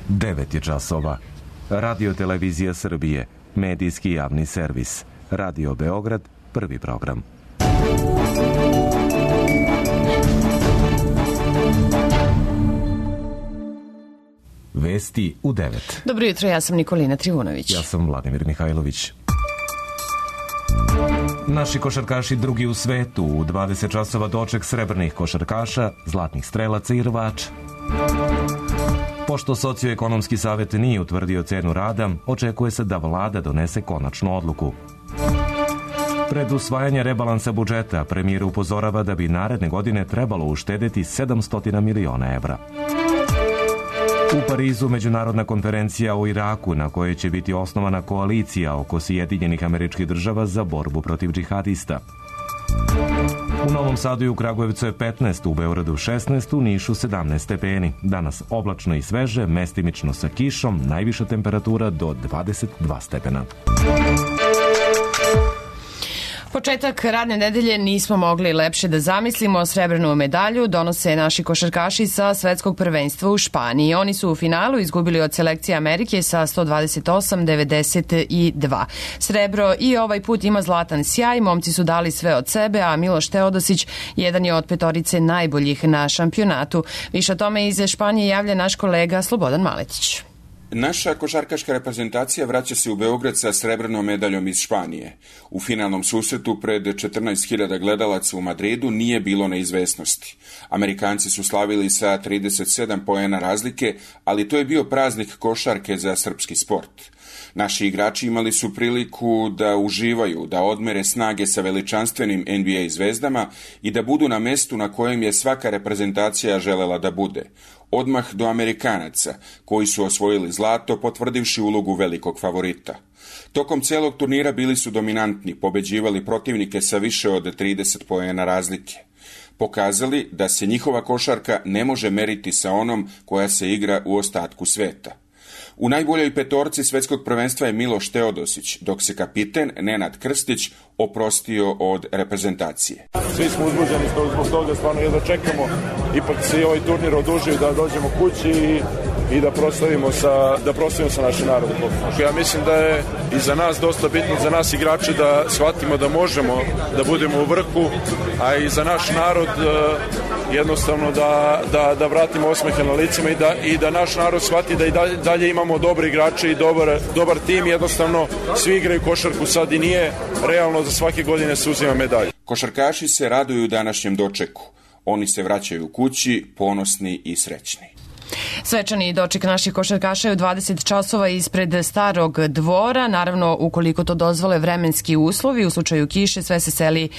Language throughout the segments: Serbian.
9 je časova. Radio Televizija Srbije, medijski javni servis. Radio Beograd, prvi program. Vesti u 9. Dobro jutro, ja sam Nikolina Trivunović. Ja sam Vladimir Mihajlović. Naši košarkaši drugi u svetu, u 20 časova doček srebrnih košarkaša, zlatnih strelaca i rvača. Pošto Socioekonomski savet nije utvrdio cenu rada, očekuje se da vlada donese konačnu odluku. Pred usvajanje rebalansa budžeta, premijer upozorava da bi naredne godine trebalo uštedeti 700 miliona evra. U Parizu međunarodna konferencija o Iraku na kojoj će biti osnovana koalicija oko Sjedinjenih Američkih Država za borbu protiv džihadista. U Novom Sadu i u Kragujevcu je 15, u Beogradu 16, u Nišu 17 stepeni. Danas oblačno i sveže, mestimično sa kišom, najviša temperatura do 22 stepena. Početak radne nedelje nismo mogli lepše da zamislimo. Srebrnu medalju donose naši košarkaši sa svetskog prvenstva u Španiji. Oni su u finalu izgubili od selekcije Amerike sa 128-92. Srebro i ovaj put ima zlatan sjaj, momci su dali sve od sebe, a Miloš Teodosić jedan je od petorice najboljih na šampionatu. Više o tome iz Španije javlja naš kolega Slobodan Maletić. Naša košarkaška reprezentacija vraća se u Beograd sa srebrnom medaljom iz Španije. U finalnom susretu pred 14.000 gledalaca u Madridu nije bilo neizvesnosti. Amerikanci su slavili sa 37 poena razlike, ali to je bio praznik košarke za srpski sport. Naši igrači imali su priliku da uživaju, da odmere snage sa veličanstvenim NBA zvezdama i da budu na mestu na kojem je svaka reprezentacija želela da bude. Odmah do Amerikanaca, koji su osvojili zlato, potvrdivši ulogu velikog favorita. Tokom celog turnira bili su dominantni, pobeđivali protivnike sa više od 30 poena razlike. Pokazali da se njihova košarka ne može meriti sa onom koja se igra u ostatku sveta. U najboljoj petorci svetskog prvenstva je Miloš Teodosić, dok se kapiten Nenad Krstić oprostio od reprezentacije. Svi smo uzbuđeni zbog toga, stvarno jedva čekamo. Ipak se i ovaj turnir odužio da dođemo kući i da proslavimo sa našim narodom. Ja mislim da je i za nas dosta bitno, za nas igrače, da shvatimo da možemo da budemo u vrhu, a i za naš narod jednostavno da vratimo osmehe na licima i da naš narod shvati da i dalje imamo dobre igrače i dobar tim. Jednostavno svi igraju košarku sad i nije realno za svake godine se uzima medalja. Košarkaši se raduju današnjem dočeku. Oni se vraćaju kući ponosni i srećni. Svečani doček naših košarkaša je u 20 časova ispred Starog dvora. Naravno, ukoliko to dozvole vremenski uslovi, u slučaju kiše sve se seli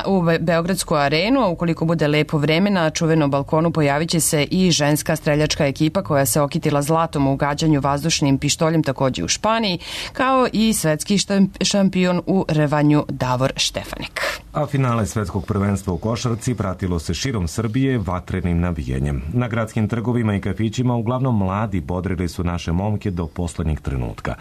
u Beogradsku arenu, a ukoliko bude lepo vreme, na čuvenom balkonu pojavit će se i ženska streljačka ekipa koja se okitila zlatom u gađanju vazdušnim pištoljem takođe u Španiji, kao i svetski šampion u rvanju Davor Štefanik. A finale svetskog prvenstva u košarci pratilo se širom Srbije vatrenim navijenjem. Na gradskim trgovima i kafićima uglavnom mladi bodrili su naše momke do poslednjeg trenutka.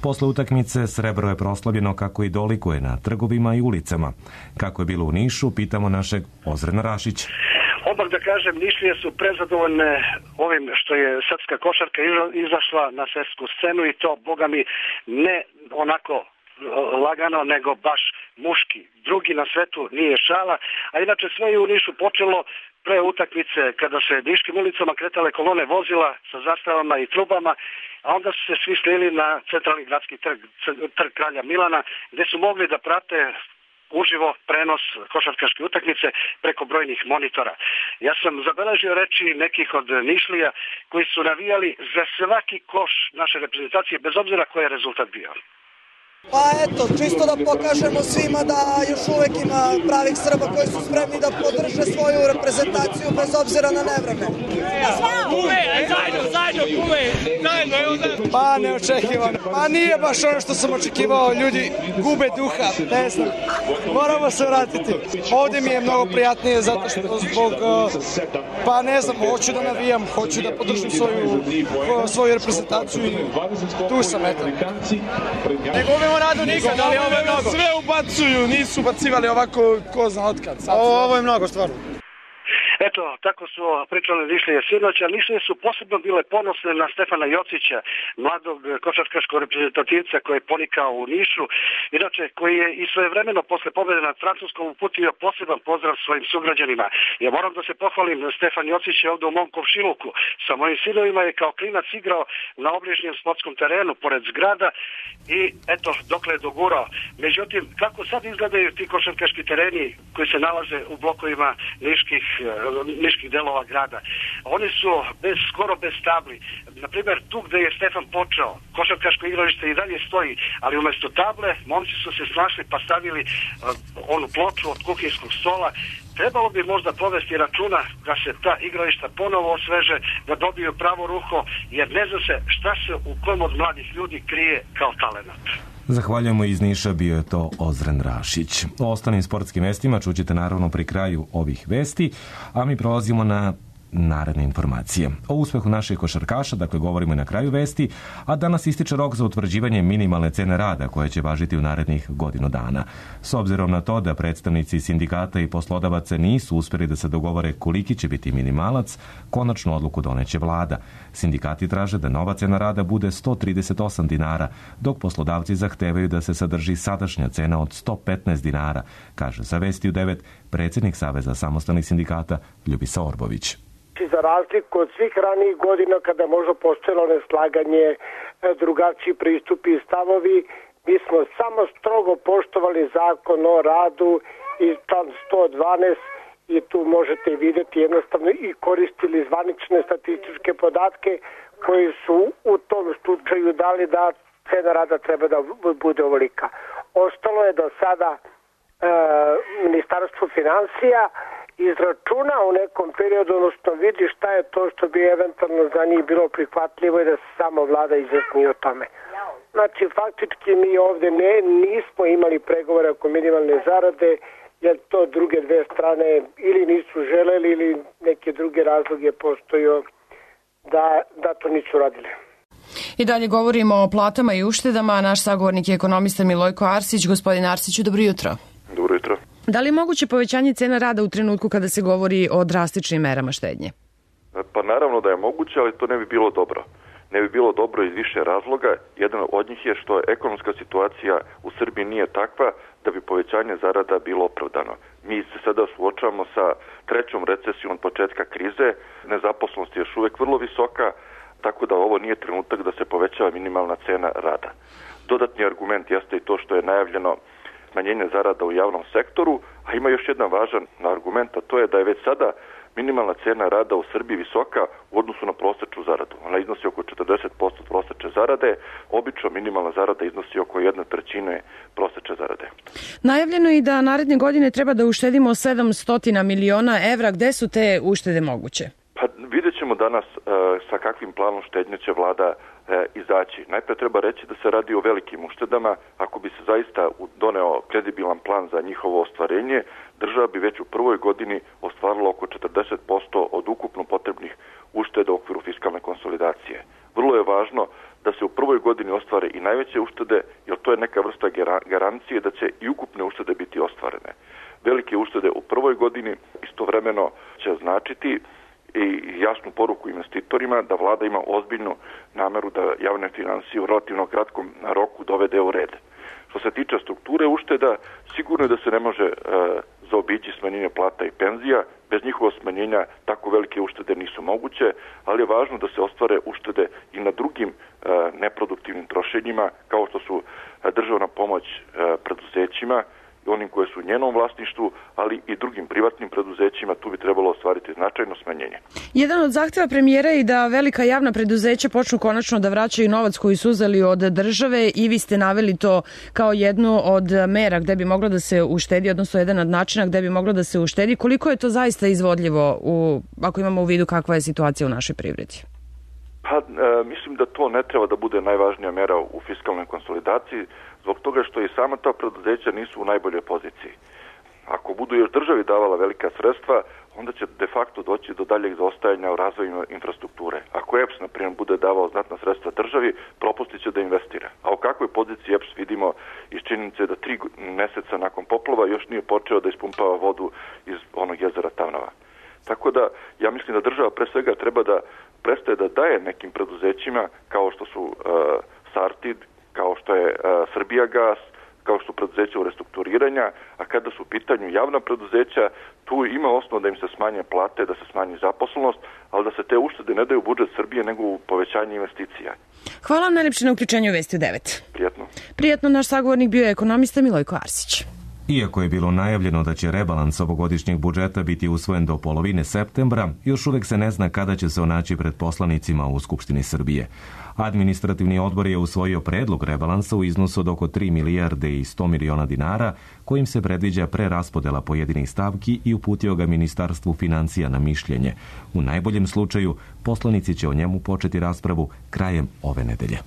Posle utakmice srebro je proslavljeno kako i dolikuje na trgovima i ulicama. Kako je bilo u Nišu, pitamo našeg Ozrena Rašića. Odmah da kažem, Nišlije su prezadovoljne ovim što je srpska košarka izašla na svetsku scenu i to, boga mi, ne onako lagano, nego baš muški. Drugi na svetu nije šala, a inače sve je u Nišu počelo pre utakmice kada se niškim ulicama kretale kolone vozila sa zastavama i trubama, a onda su se svi slili na centralni gradski trg Kralja Milana, gde su mogli da prate uživo prenos košarkaške utakmice preko brojnih monitora. Ja sam zabeležio reči nekih od Nišlija koji su navijali za svaki koš naše reprezentacije, bez obzira koji je rezultat bio. Pa eto, čisto da pokažemo svima da još uvek ima pravih Srba koji su spremni da podrže svoju reprezentaciju bez obzira na nevreme. Pa neočekivano. Pa nije baš ono što sam očekivao, ljudi gube duha, ne znam. Moramo se vratiti. Ovde mi je mnogo prijatnije zato što zbog, pa ne znam, hoću da navijam, hoću da podržim svoju reprezentaciju i tu sam, eto. Ne gubimo radu nikad, ali ovo je mnogo. Sve ubacuju, nisu ubacivali ovako ko zna otkad. Ovo je mnogo, stvarno. Eto, tako su pričale Nišlije sinoć, a Nišlije su posebno bile ponosne na Stefana Jocića, mladog košarkaškog reprezentativca koji je ponikao u Nišu, inače koji je i svojevremeno posle pobjede nad Francuskom uputio poseban pozdrav svojim sugrađanima. Ja moram da se pohvalim, Stefan Jocić je ovdje u mom komšiluku. Sa mojim sinovima je kao klinac igrao na obližnjem sportskom terenu pored zgrada i eto, dokle je dogurao. Međutim, kako sad izgledaju ti košarkaški tereni koji se nalaze u blokovima niških delova grada? Oni su skoro bez tabli. Naprimjer, tu gde je Stefan počeo, košarkaško igralište i dalje stoji, ali umjesto table, momci su se snašli pa stavili onu ploču od kuhinskog stola. Trebalo bi možda povesti računa da se ta igrališta ponovo osveže, da dobiju pravo ruho, jer ne zna se šta se u kom od mladih ljudi krije kao talenat. Zahvaljujemo, iz Niša bio je to Ozren Rašić. O ostalim sportskim vestima čućete naravno pri kraju ovih vesti, a mi prolazimo na naredne informacije. O uspehu naših košarkaša, dakle, govorimo i na kraju vesti, a danas ističe rok za utvrđivanje minimalne cene rada koje će važiti u narednih godinu dana. S obzirom na to da predstavnici sindikata i poslodavaca nisu uspjeli da se dogovore koliki će biti minimalac, konačnu odluku doneće vlada. Sindikati traže da nova cena rada bude 138 dinara, dok poslodavci zahtevaju da se sadrži sadašnja cena od 115 dinara, kaže za Vesti u 9 predsjednik Saveza samostalnih sindikata Ljubisa Orbović. Za razliku od svih ranijih godina kada možda postojalo neslaganje, drugačiji pristupi i stavovi, mi smo samo strogo poštovali zakon o radu i član 112 i tu možete vidjeti jednostavno i koristili zvanične statističke podatke koji su u tom slučaju dali da cena rada treba da bude ovolika. Ostalo je do sada Ministarstvo financija izračuna u nekom periodu, odnosno vidi šta je to što bi eventualno za njih bilo prihvatljivo i da se samo vlada izjasni o tome. Znači, faktički mi ovdje nismo imali pregovore oko minimalne zarade, jer to druge dve strane ili nisu želeli ili neke druge razloge postojao da to nisu radili. I dalje govorimo o platama i uštedama. Naš sagovornik je ekonomista Milojko Arsić. Gospodin Arsiću, dobro jutro. Dobro jutro. Da li je moguće povećanje cena rada u trenutku kada se govori o drastičnim merama štednje? Pa naravno da je moguće, ali to ne bi bilo dobro. Ne bi bilo dobro iz više razloga. Jedan od njih je što ekonomska situacija u Srbiji nije takva da bi povećanje zarada bilo opravdano. Mi se sada suočavamo sa trećom recesijom od početka krize, nezaposlenost je još uvijek vrlo visoka, tako da ovo nije trenutak da se povećava minimalna cena rada. Dodatni argument jeste i to što je najavljeno smanjenje zarada u javnom sektoru, a ima još jedan važan argument, a to je da je već sada minimalna cena rada u Srbiji visoka u odnosu na prosječnu zaradu. Ona iznosi oko 40% prosječne zarade, obično minimalna zarada iznosi oko 1/3 prosječne zarade. Najavljeno je i da naredne godine treba da uštedimo 700 miliona evra. Gde su te uštede moguće? Pa vidjet ćemo danas sa kakvim planom štednje će vlada izaći. Najprije treba reći da se radi o velikim uštedama. Ako bi se zaista doneo kredibilan plan za njihovo ostvarenje, država bi već u prvoj godini ostvarila oko 40% od ukupno potrebnih ušteda u okviru fiskalne konsolidacije. Vrlo je važno da se u prvoj godini ostvare i najveće uštede, jer to je neka vrsta garancije da će i ukupne uštede biti ostvarene. Velike uštede u prvoj godini istovremeno će značiti i jasnu poruku investitorima da vlada ima ozbiljnu nameru da javne financije u relativno kratkom roku dovede u red. Što se tiče strukture ušteda, sigurno je da se ne može zaobići smanjenje plata i penzija. Bez njihovog smanjenja tako velike uštede nisu moguće, ali je važno da se ostvare uštede i na drugim neproduktivnim trošenjima, kao što su državna pomoć preduzećima, onim koje su u njenom vlasništvu, ali i drugim privatnim preduzećima, tu bi trebalo ostvariti značajno smanjenje. Jedan od zahtjeva premijera je da velika javna preduzeća počnu konačno da vraćaju novac koji su uzeli od države i vi ste naveli to kao jednu od mera gde bi moglo da se uštedi, odnosno jedan od načina gde bi moglo da se uštedi. Koliko je to zaista izvodljivo ako imamo u vidu kakva je situacija u našoj privredi? Pa, mislim da to ne treba da bude najvažnija mera u fiskalnoj konsolidaciji, zbog toga što i sama ta preduzeća nisu u najboljoj poziciji. Ako budu još državi davala velika sredstva, onda će de facto doći do daljeg zaostajanja u razvoju infrastrukture. Ako EPS, na primjer, bude davao znatna sredstva državi, propustit će da investira. A u kakvoj poziciji EPS vidimo iz činjenice da 3 mjeseca nakon poplava još nije počeo da ispumpava vodu iz onog jezera Tamnava. Tako da ja mislim da država pre svega treba da prestaje da daje nekim preduzećima kao što su Sartid, kao što je Srbijagas, kao što su preduzeća u restrukturiranja, a kada su u pitanju javna preduzeća, tu ima osnov da im se smanje plate, da se smanji zaposlenost, ali da se te uštede ne daju u budžet Srbije, nego u povećanje investicija. Hvala vam najlepše na uključenju u Vesti u 9. Prijetno. Prijetno, naš sagovornik bio je ekonomista Milojko Arsić. Iako je bilo najavljeno da će rebalans ovogodišnjeg budžeta biti usvojen do polovine septembra, još uvek se ne zna kada će se onaći pred poslanicima u Skupštini Srbije. Administrativni odbor je usvojio predlog rebalansa u iznosu od oko 3 milijarde i 100 miliona dinara, kojim se predviđa preraspodela pojedinih stavki i uputio ga Ministarstvu financija na mišljenje. U najboljem slučaju, poslanici će o njemu početi raspravu krajem ove nedelje.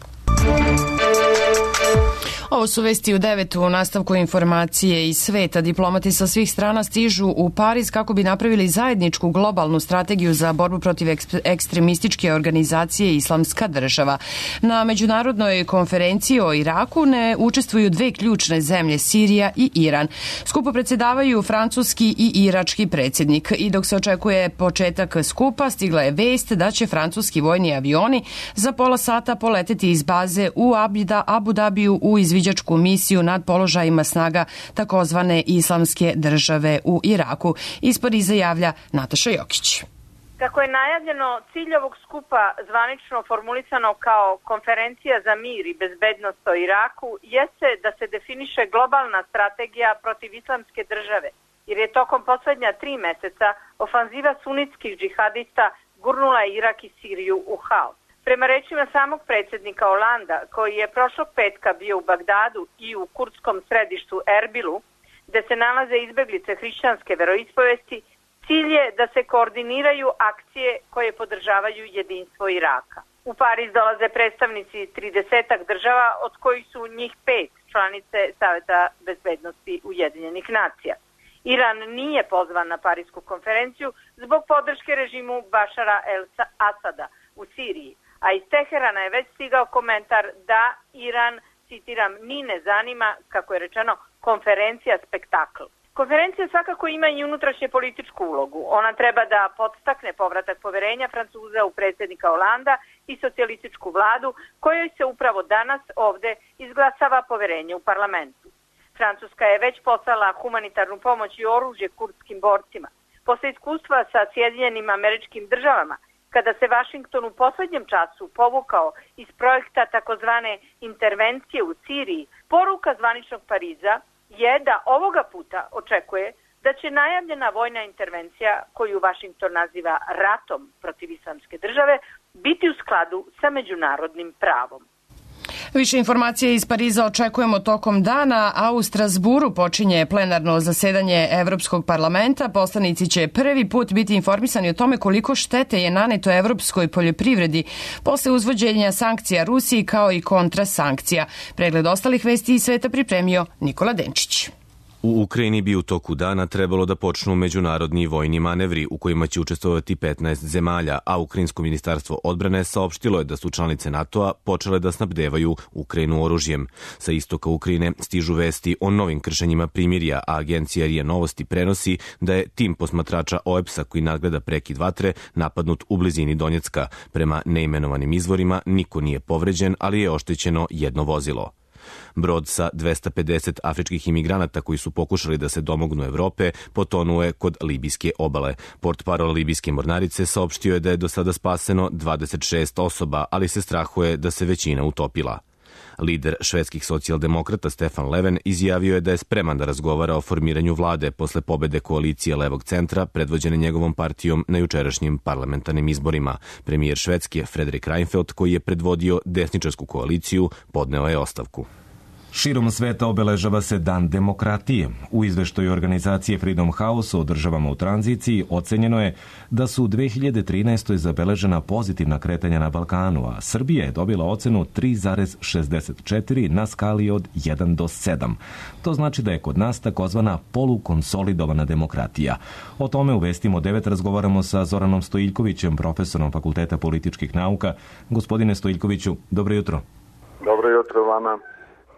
Ovo su Vesti u 9. U nastavku informacije iz sveta. Diplomati sa svih strana stižu u Pariz kako bi napravili zajedničku globalnu strategiju za borbu protiv ekstremističke organizacije Islamska država. Na međunarodnoj konferenciji o Iraku ne učestvuju dve ključne zemlje, Sirija i Iran. Skupo predsjedavaju francuski i irački predsjednik. I dok se očekuje početak skupa, stigla je vest da će francuski vojni avioni za pola sata poleteti iz baze u Abu Dabiju u izviđačku misiju nad položajima snaga takozvane Islamske države u Iraku. Iz Pariza javlja Nataša Jokić. Kako je najavljeno, cilj ovog skupa, zvanično formulisano kao konferencija za mir i bezbednost o Iraku, jeste da se definiše globalna strategija protiv Islamske države, jer je tokom poslednja 3 meseca ofanziva sunitskih džihadista gurnula Irak i Siriju u haos. Prema rečima samog predsjednika Holanda, koji je prošlog petka bio u Bagdadu i u kurdskom središtu Erbilu, gde se nalaze izbeglice hrišćanske veroispovesti, cilj je da se koordiniraju akcije koje podržavaju jedinstvo Iraka. U Pariz dolaze predstavnici 30 država, od kojih su njih 5 članice Saveta bezbednosti Ujedinjenih nacija. Iran nije pozvan na Parisku konferenciju zbog podrške režimu Bašara el-Asada u Siriji, a iz Teherana je već stigao komentar da Iran, citiram, ni ne zanima, kako je rečeno, konferencija spektakl. Konferencija svakako ima i unutrašnje političku ulogu. Ona treba da podstakne povratak poverenja Francuza u predsjednika Holanda i socijalističku vladu, kojoj se upravo danas ovde izglasava poverenje u parlamentu. Francuska je već poslala humanitarnu pomoć i oružje kurdskim borcima. Posle iskustva sa Sjedinjenim Američkim Državama, kada se Vašington u poslednjem času povukao iz projekta takozvane intervencije u Siriji, poruka zvaničnog Pariza je da ovoga puta očekuje da će najavljena vojna intervencija, koju Vašington naziva ratom protiv Islamske države, biti u skladu sa međunarodnim pravom. Više informacije iz Pariza očekujemo tokom dana, a u Strasburu počinje plenarno zasedanje Evropskog parlamenta. Poslanici će prvi put biti informisani o tome koliko štete je naneto evropskoj poljoprivredi posle uzvođenja sankcija Rusiji kao i kontrasankcija. Pregled ostalih vesti iz sveta pripremio Nikola Denčić. U Ukrajini bi u toku dana trebalo da počnu međunarodni vojni manevri u kojima će učestvovati 15 zemalja, a Ukrajinsko ministarstvo odbrane saopštilo je da su članice NATO-a počele da snabdevaju Ukrajinu oružjem. Sa istoka Ukrajine stižu vesti o novim kršenjima primirja, a agencija RIA Novosti prenosi da je tim posmatrača OEBS-a koji nadgleda prekid vatre napadnut u blizini Donjecka. Prema neimenovanim izvorima niko nije povređen, ali je oštećeno jedno vozilo. Brod sa 250 afričkih imigranata koji su pokušali da se domognu Evrope potonuo je kod libijske obale. Portparol libijske mornarice saopštio je da je do sada spaseno 26 osoba, ali se strahuje da se većina utopila. Lider švedskih socijaldemokrata Stefan Löfven izjavio je da je spreman da razgovara o formiranju vlade posle pobede koalicije levog centra predvođene njegovom partijom na jučerašnjim parlamentarnim izborima. Premijer Švedske Fredrik Reinfeldt, koji je predvodio desničarsku koaliciju, podneo je ostavku. Širom sveta obeležava se Dan demokratije. U izveštaju organizacije Freedom House o državama u tranziciji ocenjeno je da su u 2013. zabeležena pozitivna kretanja na Balkanu, a Srbija je dobila ocenu 3,64 na skali od 1 do 7. To znači da je kod nas takozvana polukonsolidovana demokratija. O tome u Vestima 9 razgovaramo sa Zoranom Stojiljkovićem, profesorom Fakulteta političkih nauka. Gospodine Stojiljkoviću, dobro jutro. Dobro jutro vama.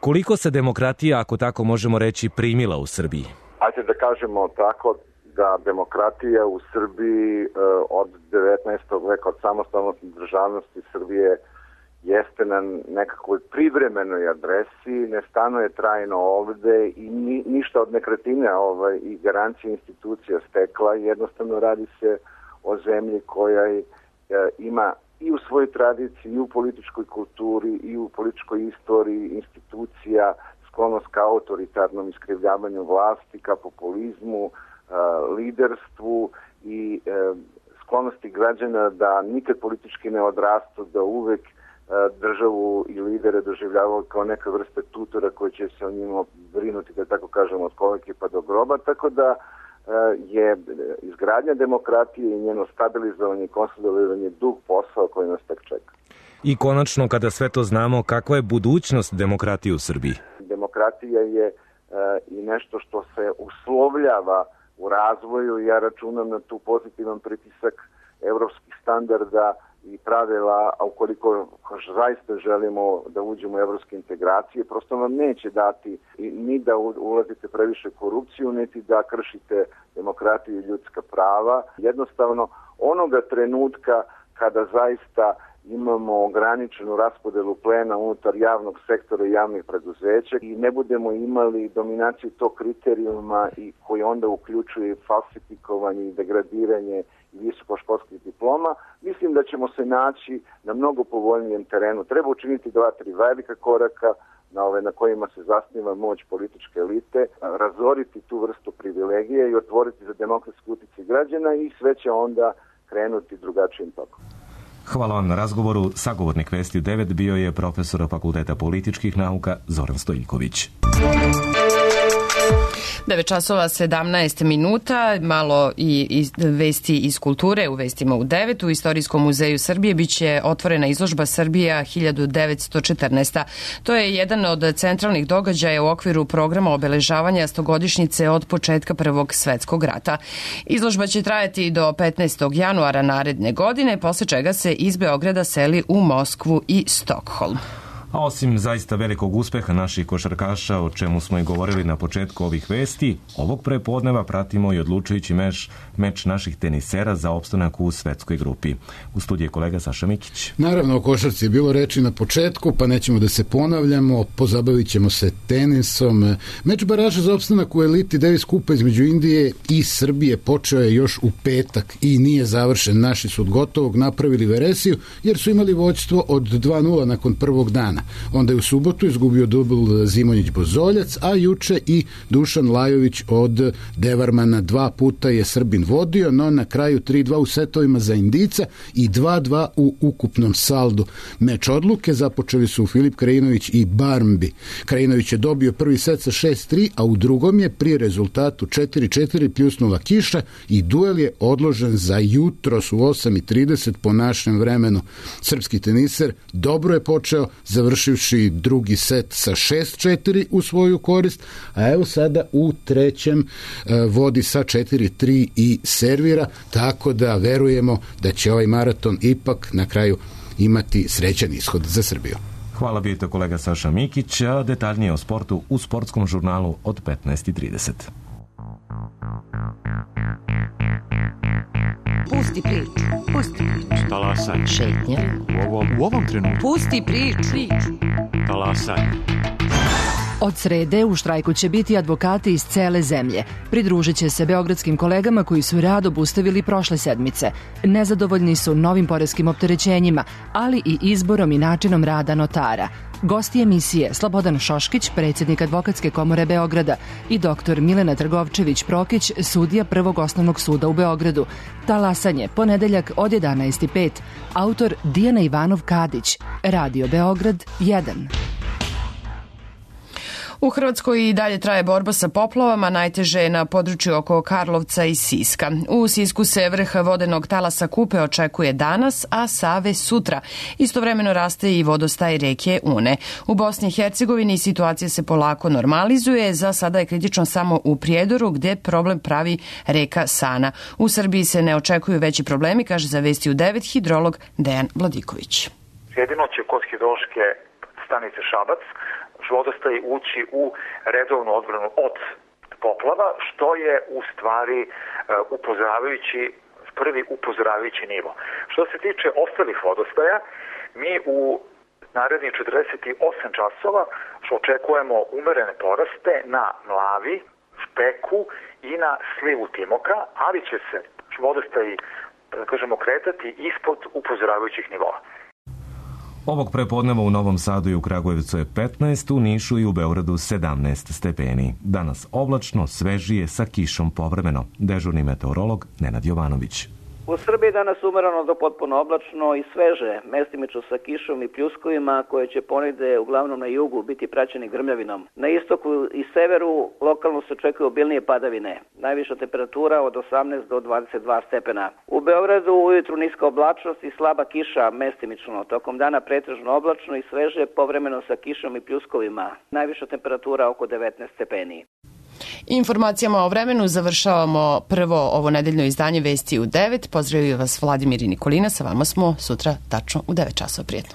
Koliko se demokratija, ako tako možemo reći, primila u Srbiji? Ajde da kažemo tako da demokratija u Srbiji od 19. veka, od samostalnosti državnosti Srbije jeste na nekakvoj privremenoj adresi, ne stanuje trajno ovde i ništa od nekretnine i garancije institucija stekla. Jednostavno radi se o zemlji koja ima i u svojoj tradiciji, i u političkoj kulturi, i u političkoj istoriji institucija sklonost ka autoritarnom iskrivljavanju vlasti, ka populizmu, liderstvu i sklonosti građana da nikad politički ne odrastu, da uvek državu i lidere doživljavaju kao neka vrste tutora koji će se o njima brinuti, da tako kažemo, od kolike pa do groba, tako da je izgradnja demokratije i njeno stabilizovanje i konsolidovanje dug posao koji nas tek čeka. I konačno, kada sve to znamo, kakva je budućnost demokratije u Srbiji? Demokratija je i nešto što se uslovljava u razvoju i ja računam na tu pozitivan pritisak evropskih standarda i pravila, a ukoliko zaista želimo da uđemo u evropske integracije, prosto vam neće dati ni da ulazite previše korupciju, niti da kršite demokratiju i ljudska prava. Jednostavno, onoga trenutka kada zaista imamo ograničenu raspodelu plena unutar javnog sektora i javnih preduzeća i ne budemo imali dominaciju tog kriterijuma i koji onda uključuje falsifikovanje i degradiranje visokoškolskih diploma, mislim da ćemo se naći na mnogo povoljnijem terenu. Treba učiniti 2-3 velika koraka na kojima se zasniva moć političke elite, razoriti tu vrstu privilegije i otvoriti za demokratski uticaj građana i sve će onda krenuti drugačijim tokom. Hvala vam na razgovoru. Sagovornik Vesti u 9 bio je profesor Fakulteta političkih nauka Zoran Stojiljković. 9 časova 17 minuta, malo i vesti iz kulture u vestima u 9. U Istorijskom muzeju Srbije biće otvorena izložba Srbija 1914. To je jedan od centralnih događaja u okviru programa obeležavanja 100-godišnjice od početka Prvog svetskog rata. Izložba će trajati do 15. januara naredne godine, posle čega se iz Beograda seli u Moskvu i Stokholm. A osim zaista velikog uspeha naših košarkaša, o čemu smo i govorili na početku ovih vesti, ovog prepodneva pratimo i odlučujući meč naših tenisera za opstanak u svetskoj grupi. U studiju je kolega Saša Mikić. Naravno, o košarci je bilo reči na početku, pa nećemo da se ponavljamo, pozabavit ćemo se tenisom. Meč baraža za opstanak u eliti Davis Kupa između Indije i Srbije počeo je još u petak i nije završen. Naši su od gotovog napravili veresiju jer su imali vođstvo od 2:0 nakon prvog dana. Onda je u subotu izgubio dubl Zimonjić-Bozoljac, a juče i Dušan Lajović od Devarmana. 2 puta je Srbin vodio, no na kraju 3:2 u setovima za Indijca i 2:2 u ukupnom saldu. Meč odluke započeli su Filip Krajinović i Barmbi. Krajinović je dobio prvi set sa 6:3, a u drugom je pri rezultatu 4:4 pljusnula kiša i duel je odložen za jutros u 8:30 po našem vremenu. Srpski teniser dobro je počeo, završivši drugi set sa 6:4 u svoju korist, a evo sada u trećem vodi sa 4:3 i servira, tako da verujemo da će ovaj maraton ipak na kraju imati srećan ishod za Srbiju. Hvala bijete kolega Saša Mikić, a detaljnije o sportu u sportskom žurnalu od 15:30. Pusti priču, pusti priču. Talasaj. Šetnja. U ovom trenutku. Pusti priču. Talasaj. Od srede u štrajku će biti advokati iz cele zemlje. Pridružit će se beogradskim kolegama koji su rad obustavili prošle sedmice. Nezadovoljni su novim poreskim opterećenjima, ali i izborom i načinom rada notara. Gosti emisije Slobodan Šoškić, predsjednik Advokatske komore Beograda, i dr. Milena Trgovčević-Prokić, sudija Prvog osnovnog suda u Beogradu. Talasanje, ponedeljak od 11:05. Autor Dijana Ivanov-Kadić. Radio Beograd 1. U Hrvatskoj i dalje traje borba sa poplavama, najteže je na području oko Karlovca i Siska. U Sisku se vrh vodenog talasa Kupe očekuje danas, a Save sutra. Istovremeno raste i vodostaj reke Une. U Bosni i Hercegovini situacija se polako normalizuje, za sada je kritično samo u Prijedoru gdje problem pravi reka Sana. U Srbiji se ne očekuju veći problemi, kaže za Vesti u 9 hidrolog Dejan Vladiković. Jedino će kod hidrološke stanice Šabac vodostaj ući u redovnu odbranu od poplava, što je u stvari prvi upozoravajući nivo. Što se tiče ostalih vodostaja, mi u narednih 48 časova očekujemo umerene poraste na Mlavi, Špeku i na slivu Timoka, ali će se vodostaji, da kažemo, kretati ispod upozoravajućih nivoa. Ovog prepodneva u Novom Sadu i u Kragujevcu je 15, u Nišu i u Beogradu 17 stepeni. Danas oblačno, svežije, sa kišom povremeno. Dežurni meteorolog Nenad Jovanović. U Srbiji danas umereno do potpuno oblačno i sveže, mestimično sa kišom i pljuskovima koje će ponegde uglavnom na jugu biti praćeni grmljavinom. Na istoku i severu lokalno se očekuju obilnije padavine. Najviša temperatura od 18 do 22 stepena. U Beogradu ujutru niska oblačnost i slaba kiša mestimično. Tokom dana pretežno oblačno i sveže, povremeno sa kišom i pljuskovima. Najviša temperatura oko 19 stepeni. Informacijama o vremenu završavamo prvo ovo nedeljno izdanje Vesti u 9. Pozdravio vas Vladimir i Nikolina, sa vama smo sutra tačno u 9 časova. Prijetno.